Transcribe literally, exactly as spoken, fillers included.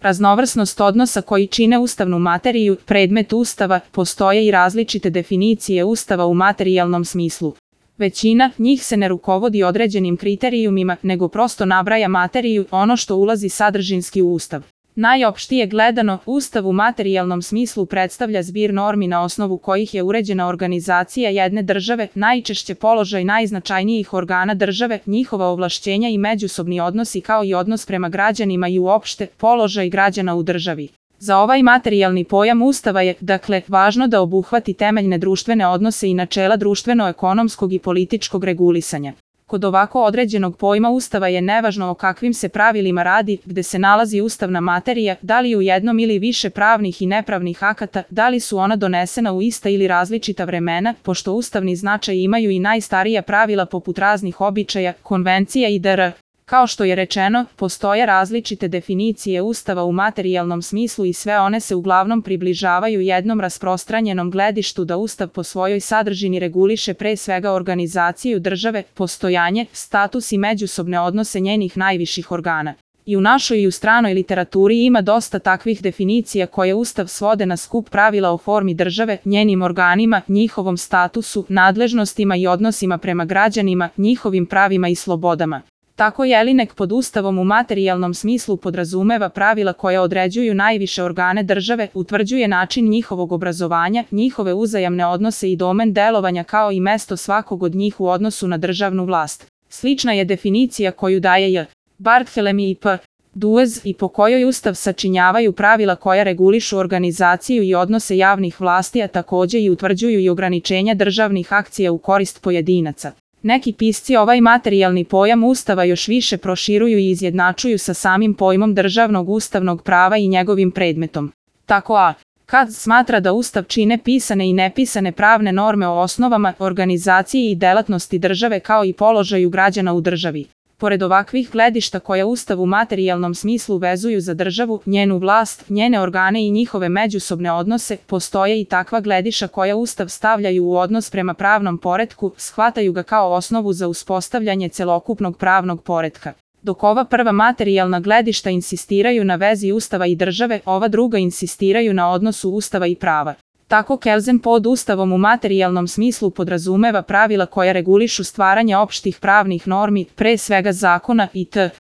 raznovrsnost odnosa koji čine ustavnu materiju, predmet Ustava, postoje i različite definicije Ustava u materijalnom smislu. Većina njih se ne rukovodi određenim kriterijumima, nego prosto nabraja materiju, ono što ulazi sadržinski u Ustav. Najopštije gledano, Ustav u materijalnom smislu predstavlja zbir normi na osnovu kojih je uređena organizacija jedne države, najčešće položaj najznačajnijih organa države, njihova ovlašćenja i međusobni odnosi kao i odnos prema građanima i uopšte položaj građana u državi. Za ovaj materijalni pojam Ustava je, dakle, važno da obuhvati temeljne društvene odnose i načela društveno-ekonomskog i političkog regulisanja. Kod ovako određenog pojma Ustava je nevažno o kakvim se pravilima radi, gde se nalazi ustavna materija, da li u jednom ili više pravnih i nepravnih akata, da li su ona donesena u ista ili različita vremena, pošto ustavni značaj imaju i najstarija pravila poput raznih običaja, konvencija i dr. Kao što je rečeno, postoje različite definicije Ustava u materijalnom smislu i sve one se uglavnom približavaju jednom rasprostranjenom gledištu da Ustav po svojoj sadržini reguliše pre svega organizaciju države, postojanje, status i međusobne odnose njenih najviših organa. I u našoj i u stranoj literaturi ima dosta takvih definicija koje Ustav svode na skup pravila o formi države, njenim organima, njihovom statusu, nadležnostima i odnosima prema građanima, njihovim pravima i slobodama. Tako Jelinek pod Ustavom u materijalnom smislu podrazumeva pravila koja određuju najviše organe države, utvrđuje način njihovog obrazovanja, njihove uzajamne odnose i domen delovanja kao i mesto svakog od njih u odnosu na državnu vlast. Slična je definicija koju daje J. Barthelemy i P. Duez i po kojoj Ustav sačinjavaju pravila koja regulišu organizaciju i odnose javnih vlasti, a takođe i utvrđuju i ograničenja državnih akcija u korist pojedinaca. Neki pisci ovaj materijalni pojam Ustava još više proširuju i izjednačuju sa samim pojmom državnog ustavnog prava i njegovim predmetom. Tako A. Kad smatra da Ustav čine pisane i nepisane pravne norme o osnovama, organizaciji i delatnosti države kao i položaju građana u državi. Pored ovakvih gledišta koja Ustav u materijalnom smislu vezuju za državu, njenu vlast, njene organe i njihove međusobne odnose, postoje i takva gledišta koja Ustav stavljaju u odnos prema pravnom poretku, shvataju ga kao osnovu za uspostavljanje celokupnog pravnog poretka. Dok ova prva materijalna gledišta insistiraju na vezi Ustava i države, ova druga insistiraju na odnosu Ustava i prava. Tako Kelsen pod Ustavom u materijalnom smislu podrazumeva pravila koja regulišu stvaranje opštih pravnih normi, pre svega zakona itd.